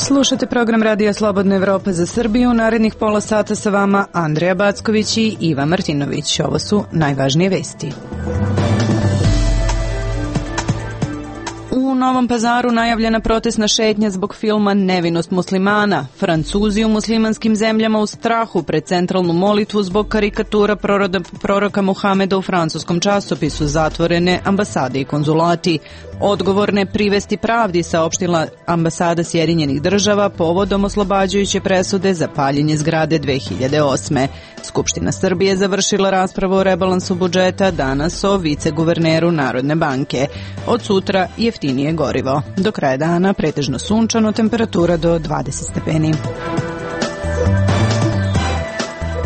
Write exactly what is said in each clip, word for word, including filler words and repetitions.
Slušate program Radija Slobodna Evropa za Srbiju. Narednih pola sata sa vama Andreja Backović i Iva Martinović. Ovo su najvažnije vesti. U Novom Pazaru najavljena protestna šetnja zbog filma Nevinost muslimana. Francuzi u muslimanskim zemljama u strahu pred centralnu molitvu zbog karikatura proroda, proroka Muhameda u francuskom časopisu, zatvorene ambasade i konzulati. Odgovorne privesti pravdi, saopštila ambasada Sjedinjenih država povodom oslobađajuće presude za paljenje zgrade dve hiljade osme. Skupština Srbije završila raspravu o rebalansu budžeta, danas o viceguverneru Narodne banke. Od sutra jeftinije gorivo. Do kraja dana pretežno sunčano, temperatura do dvadeset stepeni.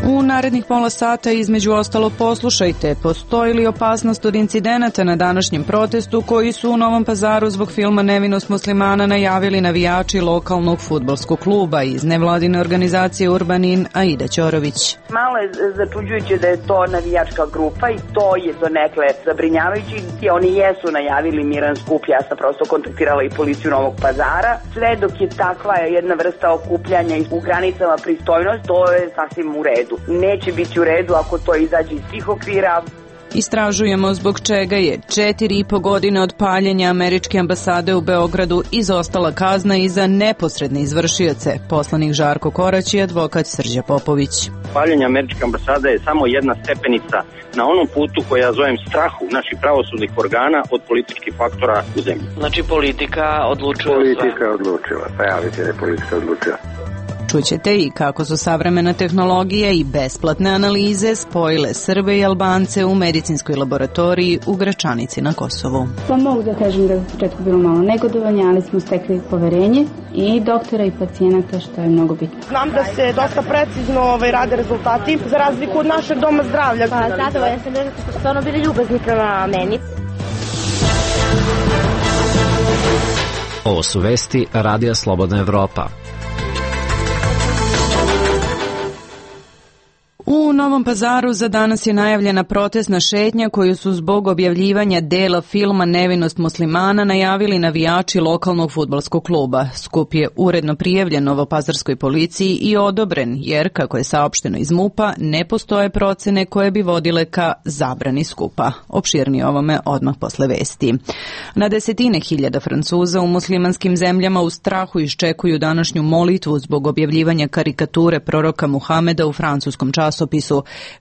U narednih pola sata između ostalo poslušajte, postoji li opasnost od incidenata na današnjem protestu koji su u Novom Pazaru zbog filma Nevinost muslimana najavili navijači lokalnog fudbalskog kluba iz nevladine organizacije Urbanin Aida Ćorović. Malo je začuđujuće da je to navijačka grupa i to je donekle zabrinjavajući. Oni jesu najavili miran skup, ja sam prosto kontaktirala i policiju Novog Pazara. Sve dok je takva jedna vrsta okupljanja u granicama pristojnosti, to je sasvim u redu. Neće biti u redu ako to izađe iz tih okvira. Istražujemo zbog čega je četiri i po godine od paljenja američke ambasade u Beogradu izostala kazna i za neposredne izvršioce. Poslanik Žarko Korać i advokat Srđa Popović. Paljenje američke ambasade je samo jedna stepenica na onom putu koja ja zovem strahu naših pravosudnih organa od političkih faktora u zemlji. Znači politika odlučuje. Politika je odlučila, pa ja vidite da je politika odlučila. Čućete i kako su savremena tehnologija i besplatne analize spojile Srbe i Albance u medicinskoj laboratoriji u Gračanici na Kosovu. Pa mogu da kažem da je u početku bilo malo negodovanja, ali smo stekli poverenje i doktora i pacijenata, što je mnogo bitno. Znam da se dosta precizno ovaj, rade rezultati, za razliku od našeg doma zdravlja. Pa zadovoljna sam da su stvarno bili ljubazni prema meni. Ovo su vesti Radija Slobodna Evropa. U Novom Pazaru za danas je najavljena protestna šetnja koju su zbog objavljivanja dela filma Nevinost muslimana najavili navijači lokalnog fudbalskog kluba. Skup je uredno prijavljen novopazarskoj policiji i odobren jer, kako je saopšteno iz MUP-a, ne postoje procene koje bi vodile ka zabrani skupa. Opširnije ovome odmah posle vesti. Na desetine hiljada Francuza u muslimanskim zemljama u strahu iščekuju današnju molitvu zbog objavljivanja karikature proroka Muhameda u francuskom časopisu.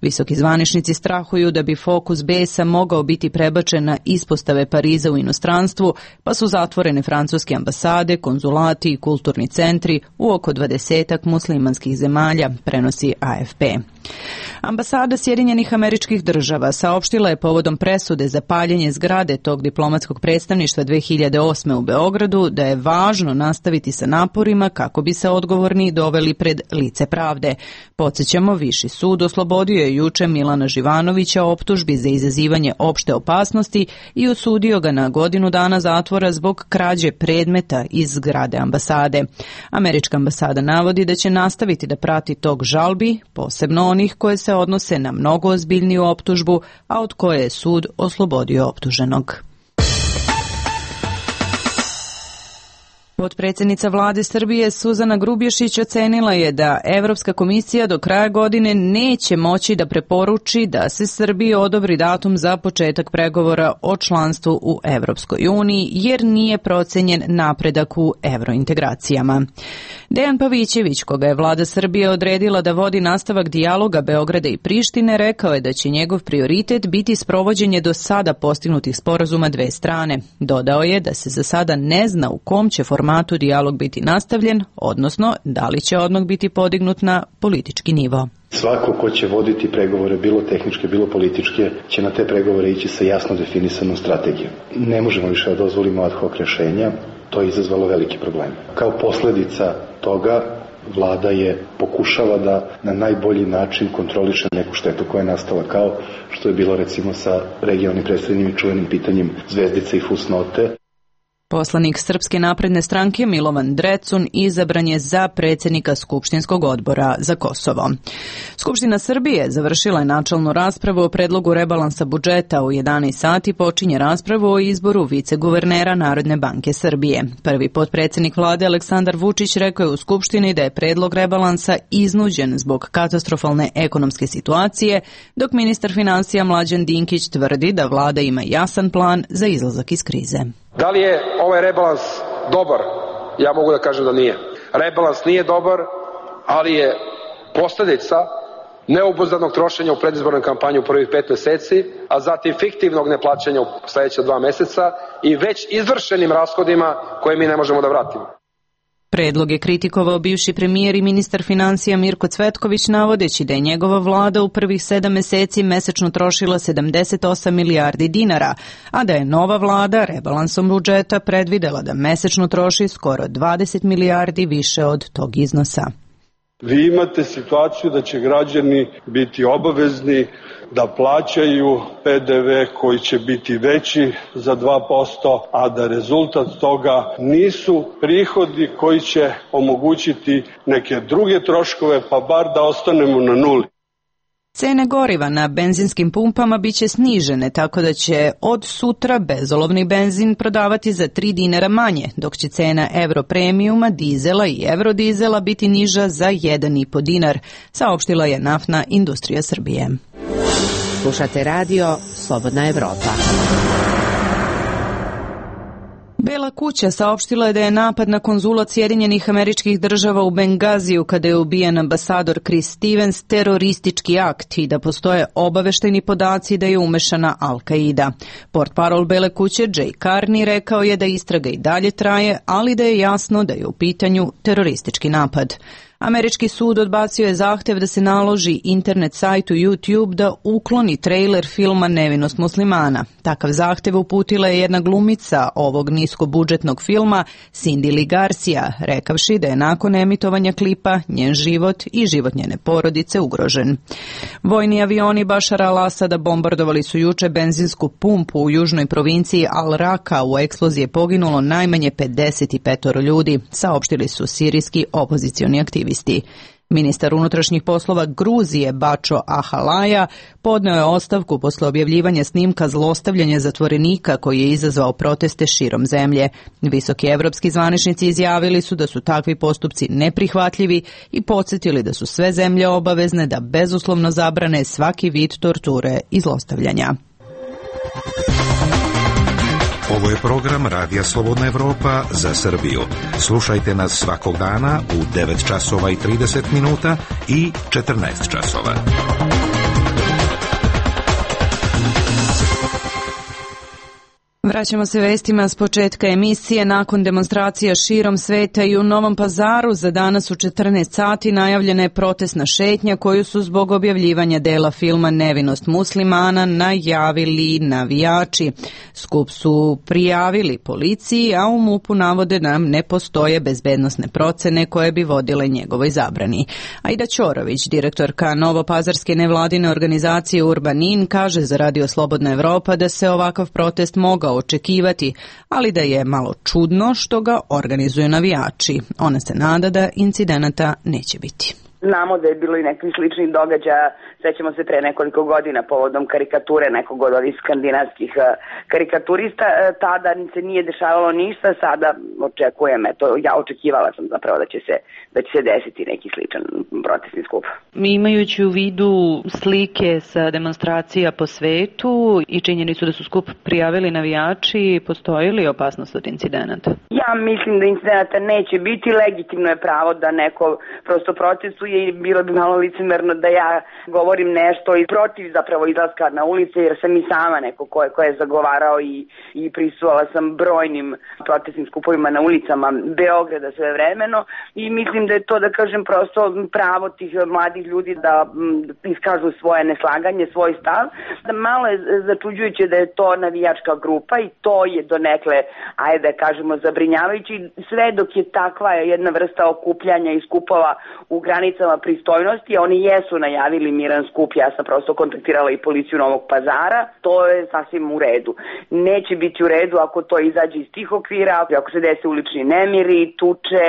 Visoki zvaničnici strahuju da bi fokus besa mogao biti prebačen na ispostave Pariza u inostranstvu, pa su zatvorene francuske ambasade, konzulati i kulturni centri u oko dvadesetak muslimanskih zemalja, prenosi A F P. Ambasada Sjedinjenih Američkih Država saopštila je povodom presude za paljenje zgrade tog diplomatskog predstavništva dve hiljade osme u Beogradu da je važno nastaviti sa naporima kako bi se odgovorni doveli pred lice pravde. Podsjećamo, Viši sud oslobodio je juče Milana Živanovića optužbi za izazivanje opšte opasnosti i osudio ga na godinu dana zatvora zbog krađe predmeta iz zgrade ambasade. Američka ambasada navodi da će nastaviti da prati tok žalbi, posebno onih koje se odnose na mnogo ozbiljniju optužbu, a od koje je sud oslobodio optuženog. Potpredsjednica vlade Srbije Suzana Grubješić ocenila je da Evropska komisija do kraja godine neće moći da preporuči da se Srbiji odobri datum za početak pregovora o članstvu u Evropskoj uniji jer nije procenjen napredak u evrointegracijama. Dejan Pavićević, koga je vlada Srbije odredila da vodi nastavak dijaloga Beograda i Prištine, rekao je da će njegov prioritet biti sprovođenje do sada postignutih sporazuma dve strane. Dodao je da se za sada ne zna u kom će formatu dijalog biti nastavljen, odnosno da li će odmah biti podignut na politički nivo. Svako ko će voditi pregovore, bilo tehničke, bilo političke, će na te pregovore ići sa jasno definisanom strategijom. Ne možemo više da dozvolimo ad hoc rešenja, to je izazvalo veliki problem. Kao posledica toga, vlada je pokušala da na najbolji način kontroliše neku štetu koja je nastala, kao što je bilo recimo sa regionalnim predstavljenim i čuvenim pitanjem zvezdice i fusnote. Poslanik Srpske napredne stranke Milovan Drecun izabran je za predsjednika Skupštinskog odbora za Kosovo. Skupština Srbije završila je načelnu raspravu o predlogu rebalansa budžeta. U jedanaest sati počinje raspravu o izboru viceguvernera Narodne banke Srbije. Prvi potpredsjednik vlade Aleksandar Vučić rekao je u Skupštini da je predlog rebalansa iznuđen zbog katastrofalne ekonomske situacije, dok ministar finansija Mlađan Dinkić tvrdi da vlada ima jasan plan za izlazak iz krize. Da li je ovaj rebalans dobar? Ja mogu da kažem da nije. Rebalans nije dobar, ali je posljedica neobuzdanog trošenja u predizbornoj kampanji u prvih pet meseci, a zatim fiktivnog neplaćanja u sljedeća dva meseca i već izvršenim rashodima koje mi ne možemo da vratimo. Predlog je kritikovao bivši premijer i ministar financija Mirko Cvetković, navodeći da je njegova vlada u prvih sedam meseci mesečno trošila sedamdeset osam milijardi dinara, a da je nova vlada rebalansom budžeta predvidela da mesečno troši skoro dvadeset milijardi više od tog iznosa. Vi imate situaciju da će građani biti obavezni da plaćaju P D V koji će biti veći za dva posto, a da rezultat toga nisu prihodi koji će omogućiti neke druge troškove, pa bar da ostanemo na nuli. Cene goriva na benzinskim pumpama biće snižene, tako da će od sutra bezolovni benzin prodavati za tri dinara manje, dok će cena Euro premiuma, dizela i Eurodizela biti niža za jedan i po dinar, saopštila je Naftna industrija Srbije. Slušate radio Slobodna Evropa. Bela kuća saopštila je da je napad na konzulat Sjedinjenih Američkih Država u Bengaziju kada je ubijen ambasador Chris Stevens teroristički akt i da postoje obaveštajni podaci da je umešana Al-Qaida. Portparol Bele kuće Jay Carney rekao je da istraga i dalje traje, ali da je jasno da je u pitanju teroristički napad. Američki sud odbacio je zahtev da se naloži internet sajtu YouTube da ukloni trailer filma Nevinost muslimana. Takav zahtev uputila je jedna glumica ovog niskobudžetnog filma, Cindy Lee Garcia, rekavši da je nakon emitovanja klipa njen život i život njene porodice ugrožen. Vojni avioni Bašara al-Asada bombardovali su juče benzinsku pumpu u južnoj provinciji Al-Raka. U eksploziji je poginulo najmanje pedeset pet ljudi, saopštili su sirijski opozicioni aktivisti. Ministar unutrašnjih poslova Gruzije Bačo Ahalaja podneo je ostavku posle objavljivanja snimka zlostavljanja zatvorenika koji je izazvao proteste širom zemlje. Visoki evropski zvaničnici izjavili su da su takvi postupci neprihvatljivi i podsjetili da su sve zemlje obavezne da bezuslovno zabrane svaki vid torture i zlostavljanja. Ovo je program Radija Slobodna Evropa za Srbiju. Slušajte nas svakog dana u devet časova i trideset minuta i četrnaest časova. Vraćamo se vestima s početka emisije. Nakon demonstracija širom sveta i u Novom Pazaru za danas u četrnaest sati najavljena je protestna šetnja koju su zbog objavljivanja dela filma Nevinost muslimana najavili navijači. Skup su prijavili policiji, a u MUP-u navode da ne postoje bezbednosne procene koje bi vodile njegovoj zabrani. Aida Ćorović, direktorka Novopazarske nevladine organizacije Urbanin, kaže za Radio Slobodna Evropa da se ovakav protest mogao očekivati, ali da je malo čudno što ga organizuju navijači. Ona se nada da incidenata neće biti. Znamo da je bilo i nekih sličnih događaja, sećamo se pre nekoliko godina povodom karikature nekog od ovih skandinavskih karikaturista, tada se nije dešavalo ništa, sada očekujem, eto, ja očekivala sam zapravo da će se, da će se desiti neki sličan protestni skup. Imajući u vidu slike sa demonstracija po svetu i činjenicu da su skup prijavili navijači, postoji li opasnost od incidenata? Ja mislim da incidenata neće biti, legitimno je pravo da neko prosto protestuje i bilo bi malo licemerno da ja govorim nešto i protiv zapravo izlaska na ulice, jer sam i sama neko ko je, ko je zagovarao i, i prisustvovala sam brojnim protestnim skupovima na ulicama Beograda svevremeno i mislim da je to, da kažem, prosto pravo tih mladih ljudi da m, iskažu svoje neslaganje, svoj stav. Malo je začuđujuće da je to navijačka grupa i to je donekle, ajde da kažemo, zabrinjavajući, sve dok je takva jedna vrsta okupljanja i skupova u granicama pristojnosti. Oni jesu najavili miran skup, ja sam prosto kontaktirala i policiju Novog Pazara, to je sasvim u redu. Neće biti u redu ako to izađe iz tih okvira, ako se dese ulični nemiri, tuče,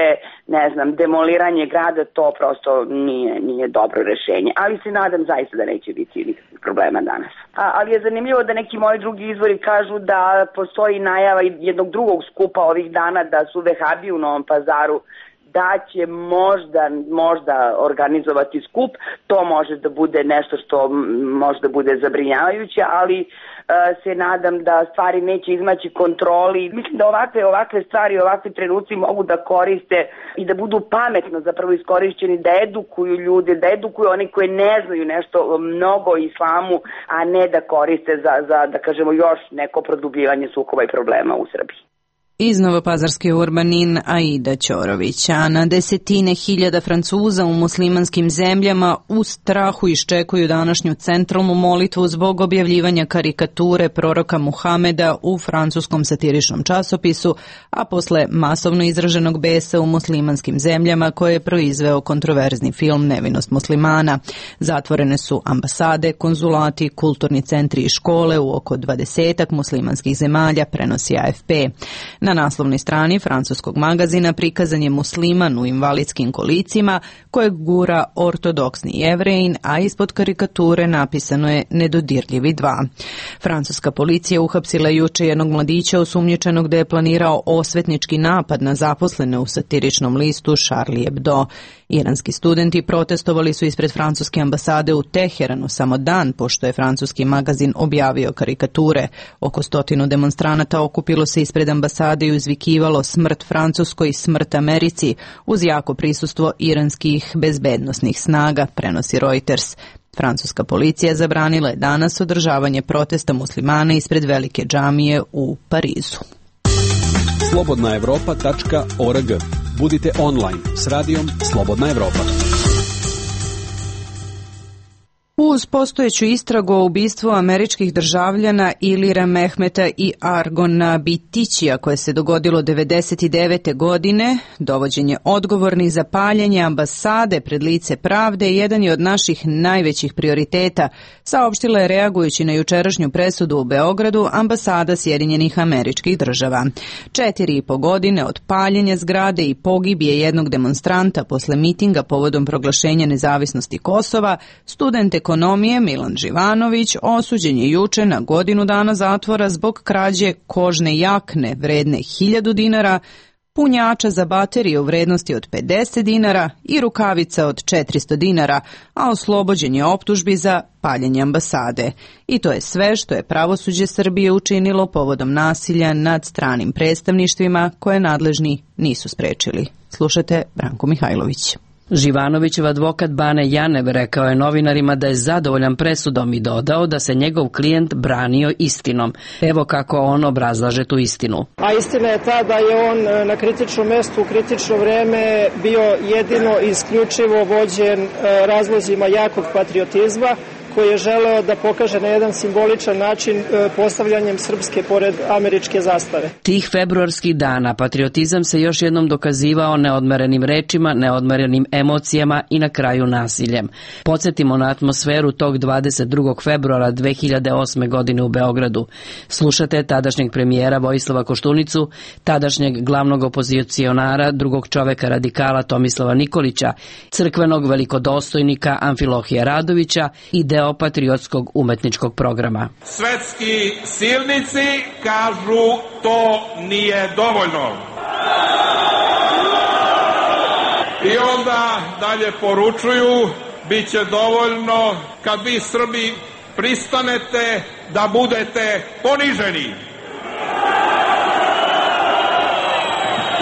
ne znam, demoliranje grada, to prosto nije, nije dobro rešenje. Ali se nadam zaista da neće biti nikakvih problema danas. A, ali je zanimljivo da neki moji drugi izvori kažu da postoji najava jednog drugog skupa ovih dana, da su vehabi u Novom Pazaru, da će možda, možda organizovati skup. To može da bude nešto što možda bude zabrinjavajuće, ali uh, se nadam da stvari neće izmaći kontroli. Mislim da ovakve, ovakve stvari, ovakvi trenuci mogu da koriste i da budu pametno zapravo iskorišćeni, da edukuju ljude, da edukuju oni koji ne znaju nešto mnogo o islamu, a ne da koriste za, za da kažemo, još neko produbljivanje sukoba i problema u Srbiji. Iz Novopazarske Urbanin Aida Ćorović, a na desetine hiljada Francuza u muslimanskim zemljama u strahu iščekuju današnju centralnu molitvu zbog objavljivanja karikature proroka Muhameda u francuskom satiričnom časopisu, a posle masovno izraženog besa u muslimanskim zemljama koje je proizveo kontroverzni film Nevinost muslimana. Zatvorene su ambasade, konzulati, kulturni centri i škole u oko dvadesetak muslimanskih zemalja, prenosi A F P. Na naslovnoj strani francuskog magazina prikazan je musliman u invalidskim kolicima kojeg gura ortodoksni Jevrejin, a ispod karikature napisano je Nedodirljivi dva. Francuska policija uhapsila juče jednog mladića osumnjičenog da je planirao osvetnički napad na zaposlene u satiričnom listu Charlie Hebdo. Iranski studenti protestovali su ispred francuske ambasade u Teheranu samo dan pošto je francuski magazin objavio karikature. Oko stotinu demonstranata okupilo se ispred ambasade i uzvikivalo smrt Francuskoj, smrt Americi, uz jako prisustvo iranskih bezbednosnih snaga, prenosi Reuters. Francuska policija zabranila je danas održavanje protesta muslimana ispred velike džamije u Parizu. slobodna evropa tačka org. Budite online s radijom Slobodna Evropa. Uz postojeću istragu o ubistvu američkih državljana Ilira Mehmeta i Argona Bitićija koje se dogodilo devedeset devete. godine, dovođenje odgovornih za paljenje ambasade pred lice pravde jedan je od naših najvećih prioriteta, saopštila je reagujući na jučerašnju presudu u Beogradu ambasada Sjedinjenih Američkih Država. Četiri i po godine od paljenja zgrade i pogibije jednog demonstranta posle mitinga povodom proglašenja nezavisnosti Kosova, student ekonomije Milan Živanović osuđen je juče na godinu dana zatvora zbog krađe kožne jakne vredne hiljadu dinara, punjača za baterije u vrednosti od pedeset dinara i rukavica od četiristo dinara, a oslobođen je optužbi za paljenje ambasade. I to je sve što je pravosuđe Srbije učinilo povodom nasilja nad stranim predstavništvima koje nadležni nisu sprečili. Slušate Branko Mihajlović. Živanovićev advokat Bane Janev rekao je novinarima da je zadovoljan presudom i dodao da se njegov klijent branio istinom. Evo kako on obrazlaže tu istinu. A istina je ta da je on na kritičnom mestu u kritično vreme bio jedino i isključivo vođen razlozima jakog patriotizma, koji je želeo da pokaže na jedan simboličan način postavljanjem srpske pored američke zastave. Tih februarskih dana patriotizam se još jednom dokazivao neodmerenim rečima, neodmerenim emocijama i na kraju nasiljem. Podsjetimo na atmosferu tog dvadeset drugog februara dve hiljade osme. godine u Beogradu. Slušate tadašnjeg premijera Vojislava Koštunicu, tadašnjeg glavnog opozicionara, drugog čoveka radikala Tomislava Nikolića, crkvenog velikodostojnika Amfilohija Radovića i deo patriotskog umetničkog programa. Svetski silnici kažu to nije dovoljno. I onda dalje poručuju bit će dovoljno kad vi Srbi pristanete da budete poniženi.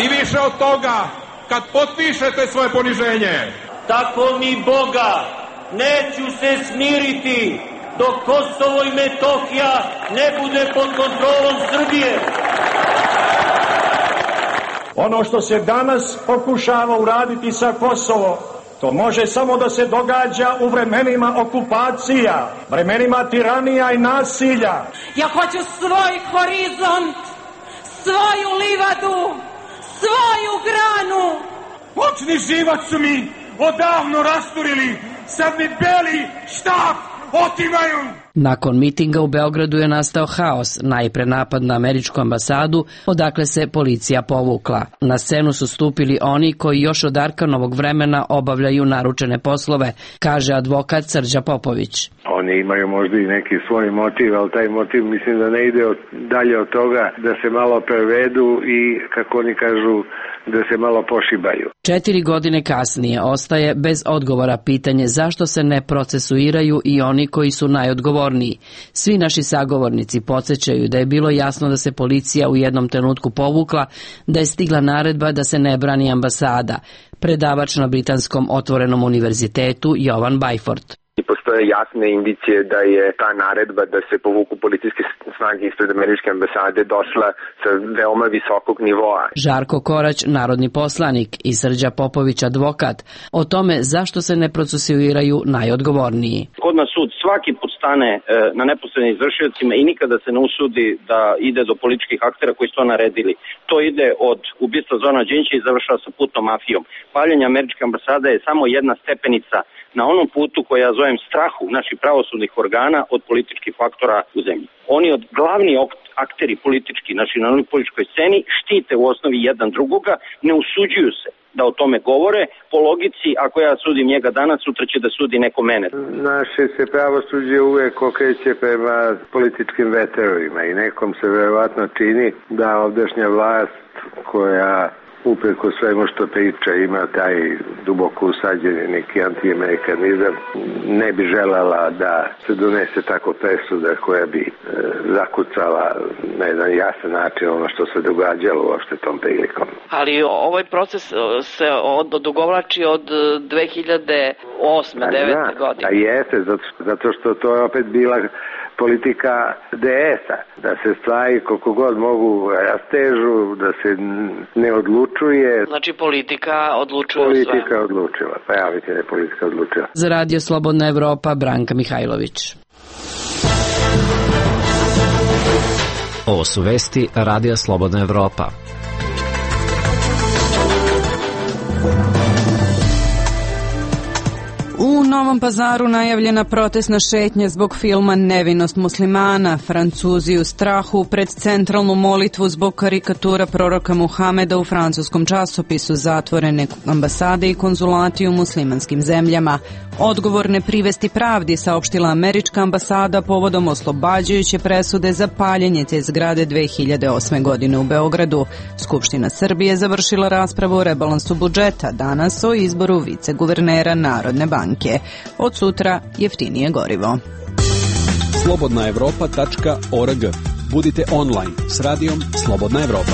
I više od toga kad potpišete svoje poniženje. Tako mi Boga neću se smiriti dok Kosovo i Metohija ne bude pod kontrolom Srbije. Ono što se danas pokušava uraditi sa Kosovo, to može samo da se događa u vremenima okupacija, vremenima tiranija i nasilja. Ja hoću svoj horizont, svoju livadu, svoju granu. Počni živac mi odavno rasturili, sad mi beli štap otimaju. Nakon mitinga u Beogradu je nastao haos, najpre napad na američku ambasadu, odakle se policija povukla. Na scenu su stupili oni koji još od Arkanovog vremena obavljaju naručene poslove, kaže advokat Srđa Popović. Oni imaju možda i neki svoj motiv, ali taj motiv mislim da ne ide od, dalje od toga da se malo prevedu i, kako oni kažu, da se malo pošibaju. Četiri godine kasnije ostaje bez odgovora pitanje zašto se ne procesuiraju i oni koji su najodgovorniji. Svi naši sagovornici podsjećaju da je bilo jasno da se policija u jednom trenutku povukla, da je stigla naredba da se ne brani ambasada. Predavač na Britanskom otvorenom univerzitetu Jovan Bajfort. Postoje jasne indicije da je ta naredba da se povuku policijske snage ispred američke ambasade došla sa veoma visokog nivoa. Žarko Korać, narodni poslanik, i Srđa Popović, advokat, o tome zašto se ne procesuiraju najodgovorniji. Kod nas sud svaki put stane e, na neposrednim izvršiocima i nikada se ne usudi da ide do političkih aktera koji su to naredili. To ide od ubistva Zorana Đinđića i završava sa putnom mafijom. Paljenje američke ambasade je samo jedna stepenica na onom putu koji ja zovem strahu naših pravosudnih organa od političkih faktora u zemlji. Oni od glavni akteri politički, znači na onoj političkoj sceni, štite u osnovi jedan drugoga, ne usuđuju se da o tome govore. Po logici, ako ja sudim njega danas, sutra će da sudi neko mene. Naše se pravosuđe uvek okreće prema političkim veterovima i nekom se verovatno čini da ovdašnja vlast koja upreko svemu što priča ima taj duboko usađeni neki antiamerikanizam, ne bi želala da se donese tako presuda koja bi e, zakucala na jedan jasan način ono što se događalo uopšte tom prilikom. Ali ovaj proces se odugovlači od dve hiljade osme devete godine. A jeste, zato, zato što to je opet bila politika de esa, da se stvari koliko god mogu rastežu, da se ne odlučuje. Znači politika odlučuje politika sve. Politika odlučila, pa ja vidite da je politika odlučila. Za Radio Slobodna Evropa, Branka Mihajlović. Ovo su vesti Radija Slobodna Evropa. U Novom Pazaru najavljena protestna šetnja zbog filma Nevinost muslimana. Francuzi u strahu pred centralnu molitvu zbog karikatura proroka Muhameda u francuskom časopisu, zatvorene ambasade i konzulati u muslimanskim zemljama. Odgovor ne privesti pravdi, saopštila američka ambasada povodom oslobađajuće presude za paljenje te zgrade dve hiljade osme. godine u Beogradu. Skupština Srbije završila raspravu o rebalansu budžeta, danas o izboru viceguvernera Narodne banke. Od sutra jeftinije gorivo. slobodna evropa tačka org. Budite online s radijom Slobodna Evropa.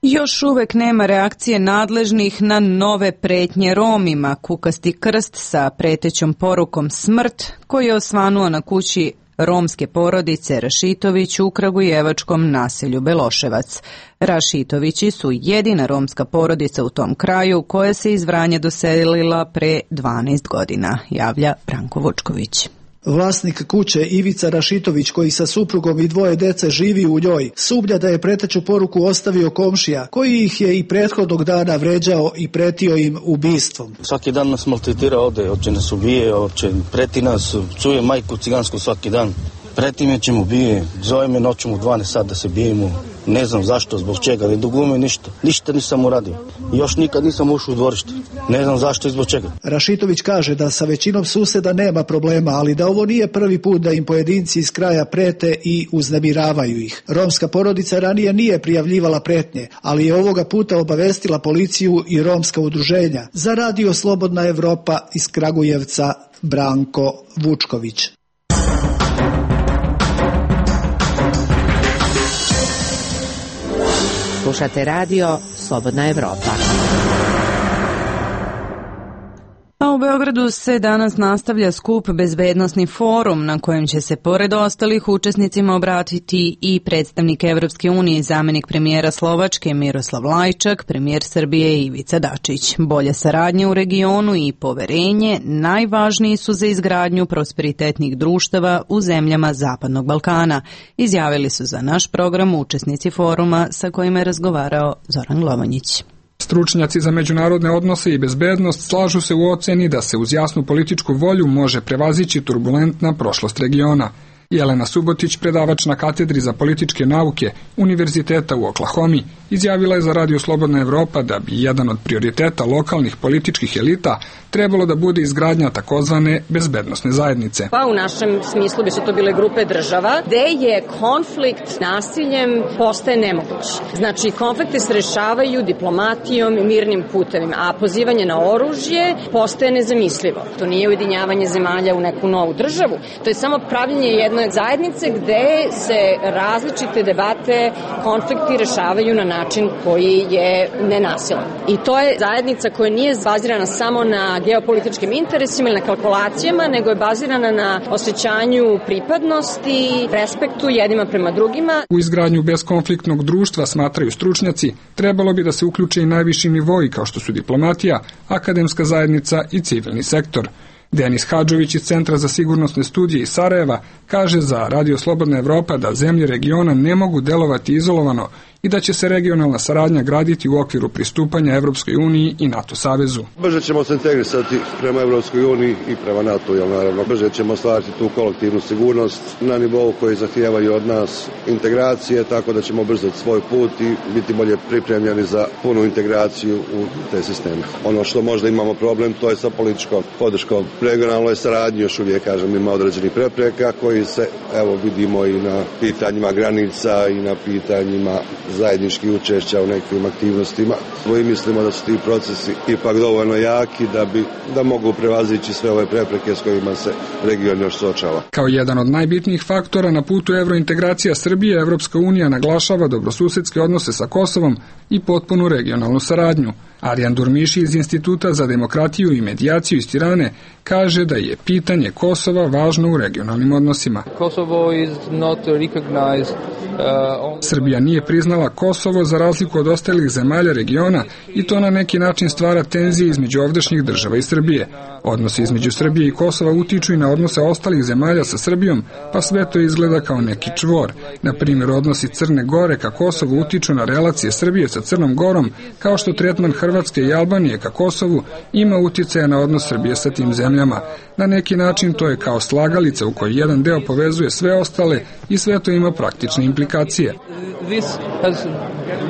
Još uvek nema reakcije nadležnih na nove pretnje Romima. Kukasti krst sa pretećom porukom smrt koji je osvanuo na kući romske porodice Rašitović u kragujevačkom naselju Beloševac. Rašitovići su jedina romska porodica u tom kraju koja se iz Vranja doselila pre dvanaest godina, javlja Branko Vučković. Vlasnik kuće Ivica Rašitović, koji sa suprugom i dvoje dece živi u njoj, sumnja da je preteću poruku ostavio komšija, koji ih je i prethodnog dana vređao i pretio im ubistvom. Svaki dan nas maltretira ovde, hoće nas ubije, hoće preti nas, čuje majku cigansku svaki dan. Preti me će mu bije, zove me noću u dvanaest sat da se bijemo. Ne znam zašto, zbog čega, ne dugume ništa. Ništa nisam uradio. Još nikad nisam ušao u dvorište. Ne znam zašto i zbog čega. Rašitović kaže da sa većinom suseda nema problema, ali da ovo nije prvi put da im pojedinci iz kraja prete i uznemiravaju ih. Romska porodica ranije nije prijavljivala pretnje, ali je ovoga puta obavestila policiju i romska udruženja. Za Radio Slobodna Evropa iz Kragujevca, Branko Vučković. Slušate radio Slobodna Evropa. A u Beogradu se danas nastavlja skup Bezbednosni forum na kojem će se pored ostalih učesnicima obratiti i predstavnik Evropske unije i zamenik premijera Slovačke Miroslav Lajčak, premijer Srbije Ivica Dačić. Bolje saradnje u regionu i poverenje najvažniji su za izgradnju prosperitetnih društava u zemljama Zapadnog Balkana, izjavili su za naš program učesnici foruma sa kojima je razgovarao Zoran Glovanjić. Stručnjaci za međunarodne odnose i bezbednost slažu se u oceni da se uz jasnu političku volju može prevazići turbulentna prošlost regiona. Jelena Subotić, predavač na katedri za političke nauke Univerziteta u Oklahomi, izjavila je za Radio Slobodna Evropa da bi jedan od prioriteta lokalnih političkih elita trebalo da bude izgradnja takozvane bezbednosne zajednice. Pa u našem smislu bi su to bile grupe država gde je konflikt nasiljem postaje nemoguć. Znači konflikte se rešavaju diplomatijom i mirnim putevima, a pozivanje na oružje postaje nezamislivo. To nije ujedinjavanje zemalja u neku novu državu, to je samo pravljenje jedne zajednice gde se različite debate, konflikti rešavaju na način koji je nenasilan. I to je zajednica koja nije bazirana samo na geopolitičkim interesima ili na kalkulacijama, nego je bazirana na osjećanju pripadnosti, respektu jednima prema drugima. U izgradnju beskonfliktnog društva, smatraju stručnjaci, trebalo bi da se uključe i najviši nivoi kao što su diplomatija, akademska zajednica i civilni sektor. Denis Hadžović iz Centra za sigurnosne studije iz Sarajeva kaže za Radio Slobodna Evropa da zemlje regiona ne mogu delovati izolovano i da će se regionalna saradnja graditi u okviru pristupanja Evropskoj uniji i NATO savezu. Brže ćemo se integrisati prema Evropskoj uniji i prema NATO, jel naravno. Brže ćemo stvariti tu kolektivnu sigurnost na nivou koji zahtijevaju od nas integracije, tako da ćemo brzati svoj put i biti bolje pripremljeni za punu integraciju u te sisteme. Ono što možda imamo problem, to je sa političkom podrškom. Regionalnoj saradnji još uvijek, kažem, ima određenih prepreka koji se, evo, vidimo i na pitanjima granica i na pitanjima zajednički učešća u nekim aktivnostima. I mislimo da su ti procesi ipak dovoljno jaki da bi da mogu prevazići sve ove prepreke s kojima se region još suočava. Kao jedan od najbitnijih faktora na putu evrointegracija Srbije, Evropska unija naglašava dobrosusedske odnose sa Kosovom i potpunu regionalnu saradnju. Arjan Durmiši iz Instituta za demokratiju i medijaciju iz Tirane kaže da je pitanje Kosova važno u regionalnim odnosima. Kosovo is not recognized. Srbija nije priznala Kosovo za razliku od ostalih zemalja regiona i to na neki način stvara tenzije između ovdašnjih država i Srbije. Odnosi između Srbije i Kosova utiču i na odnose ostalih zemalja sa Srbijom, pa sve to izgleda kao neki čvor. Na primjer, odnosi Crne Gore ka Kosovu utiču na relacije Srbije sa Crnom Gorom, kao što tretman Hrvatske i Albanije ka Kosovu ima uticaja na odnos Srbije sa tim zemljama. Na neki način to je kao slagalica u kojoj jedan deo povezuje sve ostale i sve to ima praktične implikacije. This has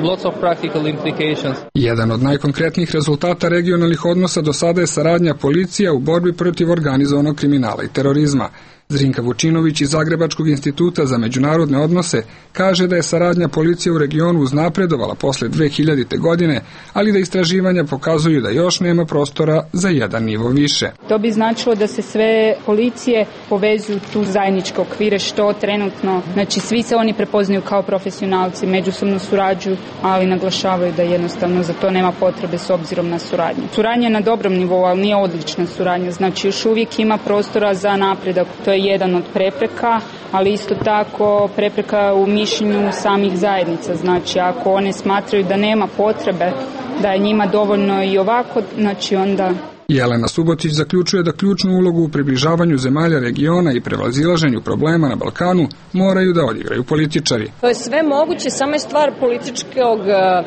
lots of practical implications. Jedan od najkonkretnijih rezultata regionalnih odnosa do sada je saradnja policija u borbi protiv organizovanog kriminala i terorizma. Zrinka Vučinović iz Zagrebačkog instituta za međunarodne odnose kaže da je saradnja policije u regionu uznapredovala posle dve hiljadite. godine, ali da istraživanja pokazuju da još nema prostora za jedan nivo više. To bi značilo da se sve policije povezuju tu zajedničke okvire, što trenutno, znači svi se oni prepoznaju kao profesionalci, međusobno surađuju, ali naglašavaju da jednostavno za to nema potrebe s obzirom na suradnju. Suradnja je na dobrom nivou, ali nije odlična suradnja, znači još uvijek ima prostora za napredak. To je jedan od prepreka, ali isto tako prepreka u mišljenju samih zajednica. Znači, ako one smatraju da nema potrebe, da je njima dovoljno i ovako, znači onda... Jelena Subotić zaključuje da ključnu ulogu u približavanju zemalja regiona i prevazilaženju problema na Balkanu moraju da odigraju političari. To je sve moguće, samo je stvar političkog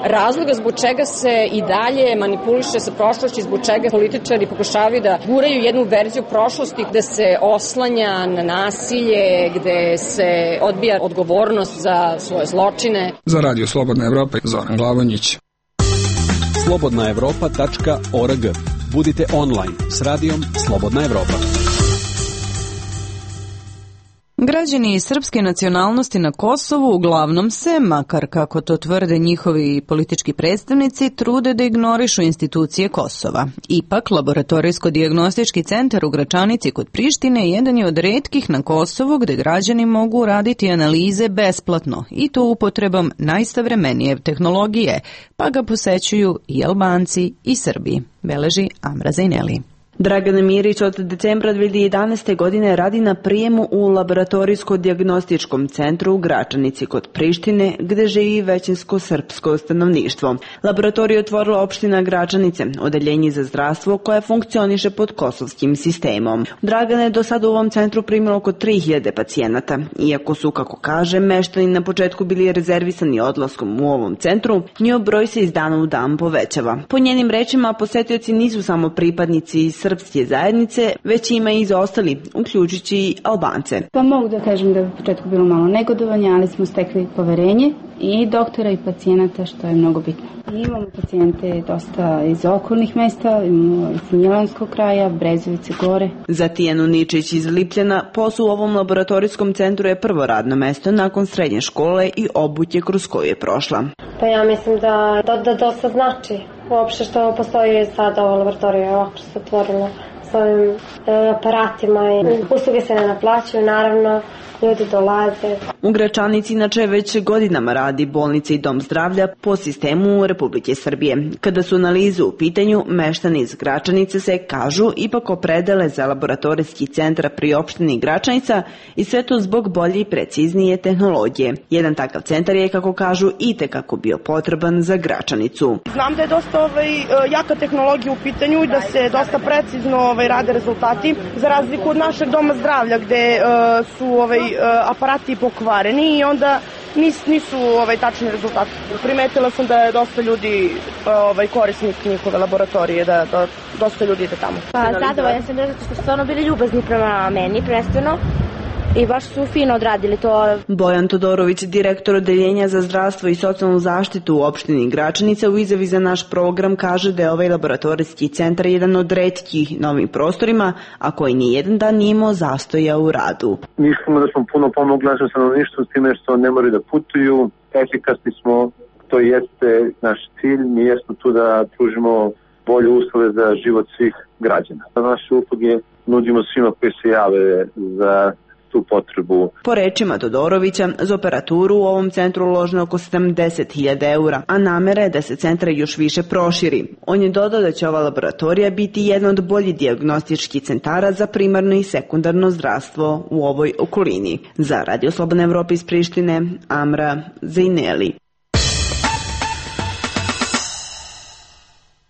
razloga zbog čega se i dalje manipuliše sa prošlošću, zbog čega političari pokušavaju da guraju jednu verziju prošlosti gde se oslanja na nasilje, gde se odbija odgovornost za svoje zločine. Za Radio Slobodna Evropa, Zoran Glavonjić. slobodna evropa tačka org. Budite online s radijom Slobodna Evropa. Građani srpske nacionalnosti na Kosovu uglavnom se, makar kako to tvrde njihovi politički predstavnici, trude da ignorišu institucije Kosova. Ipak, laboratorijsko-dijagnostički centar u Gračanici kod Prištine jedan je od retkih na Kosovu gde građani mogu raditi analize besplatno i to upotrebom najsavremenije tehnologije, pa ga posećuju i Albanci i Srbi, beleži Amra Zajneli. Dragana Mirić od decembra dve hiljade jedanaeste. godine radi na prijemu u laboratorijsko-dijagnostičkom centru u Gračanici kod Prištine, gde živi većinsko srpsko stanovništvo. Laboratoriju je otvorila opština Gračanice, odeljenje za zdravstvo koje funkcioniše pod kosovskim sistemom. Dragana je do sada u ovom centru primilo oko tri hiljade pacijenata. Iako su, kako kaže, meštani na početku bili rezervisani odlaskom u ovom centru, njihov broj se iz dana u dan povećava. Po njenim rečima, posetioci nisu samo pripadnici iz srpske zajednice, već ima i za ostali, uključujući i Albance. Pa mogu da kažem da je u početku bilo malo negodovanja, ali smo stekli poverenje i doktora i pacijenata, što je mnogo bitno. I imamo pacijente dosta iz okolnih mesta, imamo iz Milanskog kraja, Brezovice gore. Za Tijanu Ničić iz Lipljana, posao u ovom laboratorijskom centru je prvo radno mesto nakon srednje škole i obuće kroz koju je prošla. Pa ja mislim da, da, da dosta znači uopšte što postoji sada ova laboratorija, ovako što se otvorilo s ovim e, aparatima i usluge se ne naplaćuju, naravno, ljudi dolaze. U Gračanici inače već godinama radi bolnica i dom zdravlja po sistemu Republike Srbije. Kada su analize u pitanju, meštani iz Gračanice se, kažu, ipak opredele za laboratorijski centar pri opštini Gračanica i sve to zbog bolje i preciznije tehnologije. Jedan takav centar je, kako kažu, i tekako bio potreban za Gračanicu. Znam da je dosta ovaj, jaka tehnologija u pitanju i da se dosta precizno ovaj, rade rezultati, za razliku od našeg doma zdravlja gde uh, su ovaj, aparati pokvareni i onda nis, nisu ovaj, tačni rezultati. Primetila sam da je dosta ljudi ovaj, korisnik njihove laboratorije, da, da dosta ljudi ide tamo. Pa zadovoljna sam da su stvarno bili ljubazni prema meni, prvenstveno. I baš su fino odradili to. Bojan Todorović, direktor odeljenja za zdravstvo i socijalnu zaštitu u opštini Gračanica, u izjavi za naš program kaže da je ovaj laboratorijski centar jedan od retkih na ovim prostorima, a koji nijedan dan nije imao zastoja u radu. Mislimo da smo puno pomogli našem stanovništvu s time što ne moraju da putuju, efikasni smo, to jeste naš cilj, mi jesmo tu da pružimo bolje uslove za život svih građana. Naše usluge nudimo svima koji se jave za tu potrebu. Po rečima Todorovića, za operaturu u ovom centru uloženo oko sedamdeset hiljada eura, a namera je da se centar još više proširi. On je dodao da će ova laboratorija biti jedna od boljih dijagnostičkih centara za primarno i sekundarno zdravstvo u ovoj okolini. Za Radio Slobodna Evropa iz Prištine, Amra Zajneli.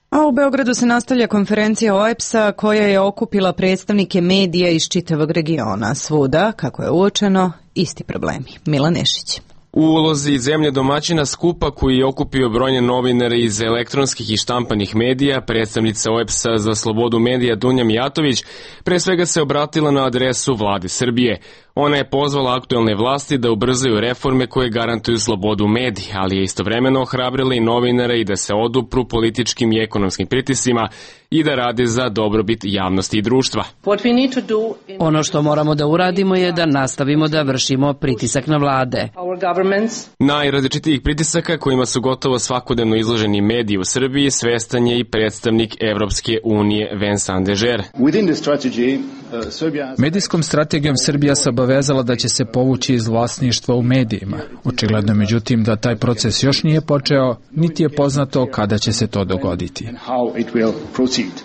A u Beogradu se nastavlja konferencija O E B S-a koja je okupila predstavnike medija iz čitavog regiona. Svuda, kako je uočeno, isti problemi. Milan Nešić. U ulozi zemlje domaćina skupa koji je okupio brojne novinare iz elektronskih i štampanih medija, predstavnica O E B S-a za slobodu medija Dunja Mijatović pre svega se obratila na adresu vlade Srbije. Ona je pozvala aktuelne vlasti da ubrzaju reforme koje garantuju slobodu medija, ali je istovremeno ohrabrila i novinare i da se odupru političkim i ekonomskim pritiscima i da rade za dobrobit javnosti i društva. Ono što moramo da uradimo je da nastavimo da vršimo pritisak na vlade. Najrazličitijih pritisaka kojima su gotovo svakodnevno izloženi mediji u Srbiji svestan je i predstavnik Evropske unije Vincent Dežer. Medijskom strategijom Srbija se obavezala da će se povući iz vlasništva u medijima. Očigledno međutim da taj proces još nije počeo, niti je poznato kada će se to dogoditi.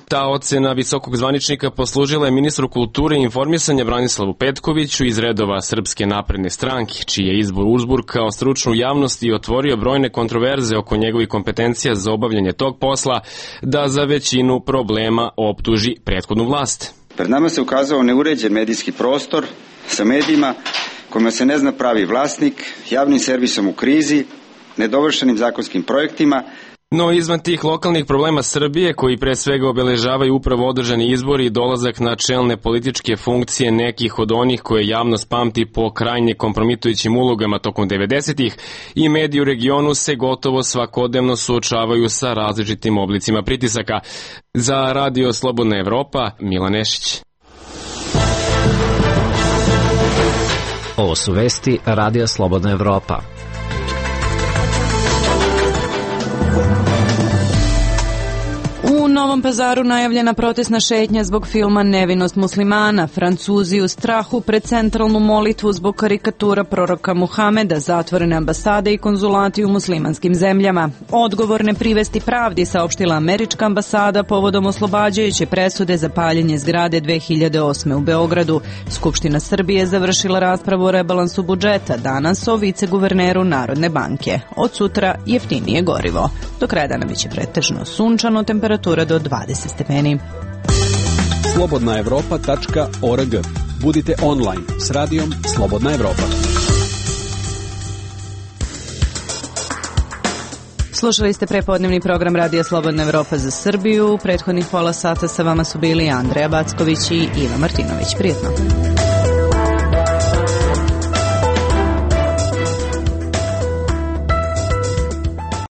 Ta ocena visokog zvaničnika poslužila je ministru kulture i informisanja Branislavu Petkoviću iz redova Srpske napredne stranke, čiji je izbor uzburkao stručnu javnost i otvorio brojne kontroverze oko njegovih kompetencija za obavljanje tog posla, da za većinu problema optuži prethodnu vlast. Pred nama se ukazao neuređen medijski prostor sa medijima kojima se ne zna pravi vlasnik, javnim servisom u krizi, nedovršenim zakonskim projektima. No izvan tih lokalnih problema Srbije, koji pre svega obeležavaju upravo održani izbori i dolazak na čelne političke funkcije nekih od onih koje javnost pamti po krajnje kompromitujućim ulogama tokom devedesetih, i mediji u regionu se gotovo svakodnevno suočavaju sa različitim oblicima pritisaka. Za Radio Slobodna Evropa, Milan Nešić. Ovo su vesti Radio Slobodna Evropa. U Novom Novom Pazaru najavljena protestna šetnja zbog filma Nevinost muslimana. Francuzi u strahu pred centralnu molitvu zbog karikatura proroka Muhameda, zatvorene ambasade i konzulati u muslimanskim zemljama. Odgovorne privesti pravdi, saopštila američka ambasada povodom oslobađajuće presude za paljenje zgrade dve hiljade osme u Beogradu. Skupština Srbije završila raspravu o rebalansu budžeta, danas o viceguverneru Narodne banke. Od sutra jeftinije gorivo. Do kraja dana biće pretežno sunčano, temperatura do dvadeset stepeni. slobodna evropa tačka org. Budite online s radijom Slobodna Evropa. Slušali ste prepodnevni program Radija Slobodna Evropa za Srbiju. Prethodnih pola sata sa vama su bili Andreja Backović i Iva Martinović. Prijetno.